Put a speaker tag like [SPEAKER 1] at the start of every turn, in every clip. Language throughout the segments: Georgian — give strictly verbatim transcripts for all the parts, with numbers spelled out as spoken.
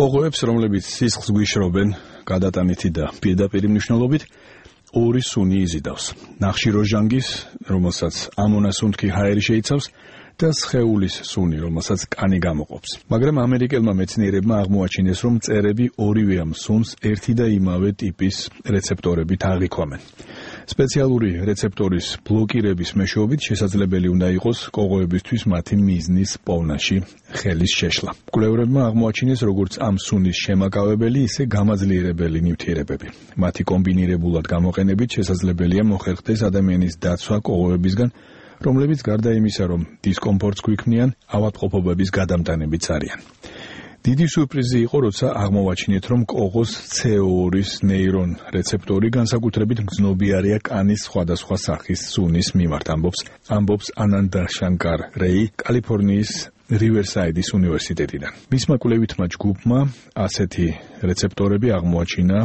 [SPEAKER 1] კოღოებს, რომლებიც სისხლს გვიშრობენ, გადატანითი და პირდაპირი მნიშვნელობით, ორი სუნი იზიდავს. ნახშირორჟანგის, რომელსაც ამონასუნთქი ჰაერი შეიცავს, და სხეულის სუნი, რომელსაც კანი გამოყოფს. მაგრამ ამერიკელმა მეცნიერებმა აღმოაჩინეს, რომ მწერები ორივე ამ სუნს ერთი და იმავე ტიპის რეცეპტორებით აღიქვამენ. სპეციალური რეცეპტორის ბლოკირების მეშვეობით შესაძლებელი უნდა იყოს კოღოებისთვის მათი მიზნის პოვნაში ხელის შეშლა. მკვლევრებმა აღმოაჩინეს როგორც ამ სუნის შემაკავებელი, ისე გამაძლიერებელი ნივთიერებები. მათი კომბინირებულად გამოყენებით შესაძლებელია მოხერხდეს ადამიანის დაცვა კოღოებისგან, რომლებიც გარდა იმისა, რომ დისკომფორტს გვიქმნიან, ავადმყოფობების გადამტანებიც არიან. დიდი სურპრიზი იყო, როცა აღმოვაჩინეთ, რომ კოღოს ცე ო ორის ნეირონ რეცეპტორი განსაკუთრებით მგრძნობიარეა კანის სხვადასხვა სახის სუნის მიმართ, ამბობს ამბობს ანანდა შანკარ რეი, კალიფორნიის რივერსაიდის უნივერსიტეტიდან. მისმა კვლევითმა ჯგუფმა ასეთი რეცეპტორები აღმოაჩინა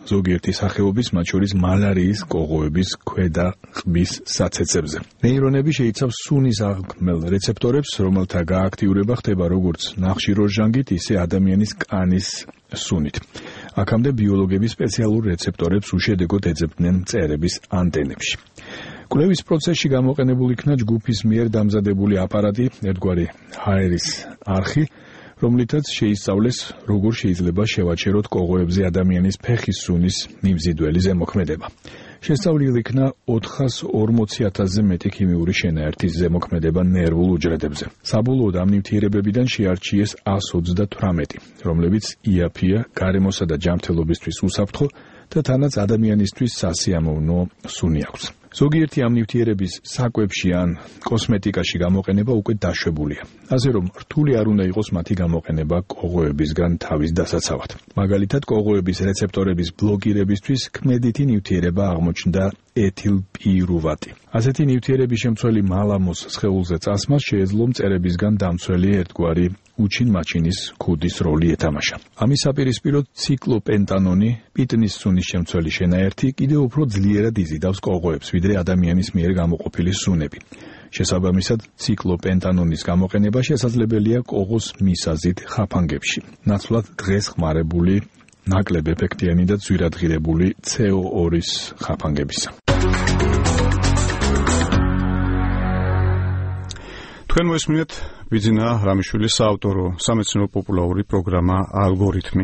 [SPEAKER 1] ზოგიერთი სახეობის, მათ შორის მალარიის კოღოების ქვედა ყბის საცეცებზე. ნეირონები შეიცავს სუნის აღქმელ რეცეპტორებს, რომელთა გააქტიურება ხდება როგორც ნახშირორჟანგით, ისე ადამიანის კანის სუნით. აქამდე ბიოლოგები სპეციალურ რეცეპტორებს უშედეგოდ ეძებდნენ მწერების ანტენებში. კვლევის პროცესში გამოყენებულ იქნა ჯგუფის მიერ დამზადებული აპარატი, ერთგვარი ჰაერის არხი, რომლითაც შეისწავლეს, როგორ შეიძლება შევაჩეროთ კოღოებზე ადამიანის ფეხის სუნის მიმზიდველი ზემოქმედება. შესწავლილი იქნა ოთხას ორმოცი ათასზე მეტი ქიმიური შენაერთის ზემოქმედება ნერვულ უჯრედებზე. საბოლოოდ ამ ნივთიერებებიდან შეარჩიეს ას ოცდათვრამეტი, რომლებიც იაფია, გარემოსა და ჯანმრთელობისთვის უსაფრთხო და თანაც ადამიანისთვის სასიამოვნო სუნი აქვს. ზოგიერთი ამ ნივთიერების საკვებში ან კოსმეტიკაში გამოყენება უკვე დაშვებულია. ასე რომ რთული არ უნდა იყოს მათი გამოყენება კოღოებისგან თავის დასაცავად. მაგალითად, კოღოების რეცეპტორების ბლოკირებისთვის ქმედითი ნივთიერება აღმოჩნდა ეთილპირუვატი. ასეთი ნივთიერების შემცველი მალამოს სხეულზე წასმას შეეძლო მწერებისგან დამცველი ერთგვარი უჩინ მაჩინის ქუდის როლი ეთამაშა. ამის საპირისპიროდ ციკლოპენტანონი, პიტნის სუნის შემცველი შენაერთი, კიდევ უფრო ძლიერად იზიდავს კოღოებს, ვიდრე ადამიანის მიერ გამოყოფილი სუნები. შესაბამისად, ციკლოპენტანონის გამოყენება შესაძლებელია კოღოს მისაზიდ ხაფანგებში. ნაცვლად დღეს ხმარებული ნაკლებ ეფექტიანი და ძვირადღირებული ცე ო ორის ხაფანგებისა.
[SPEAKER 2] თქვენ მოისმინეთ ბიძინა რამიშვილის საავტორო სამეცნიერო პოპულარული პროგრამა ალგორითმი.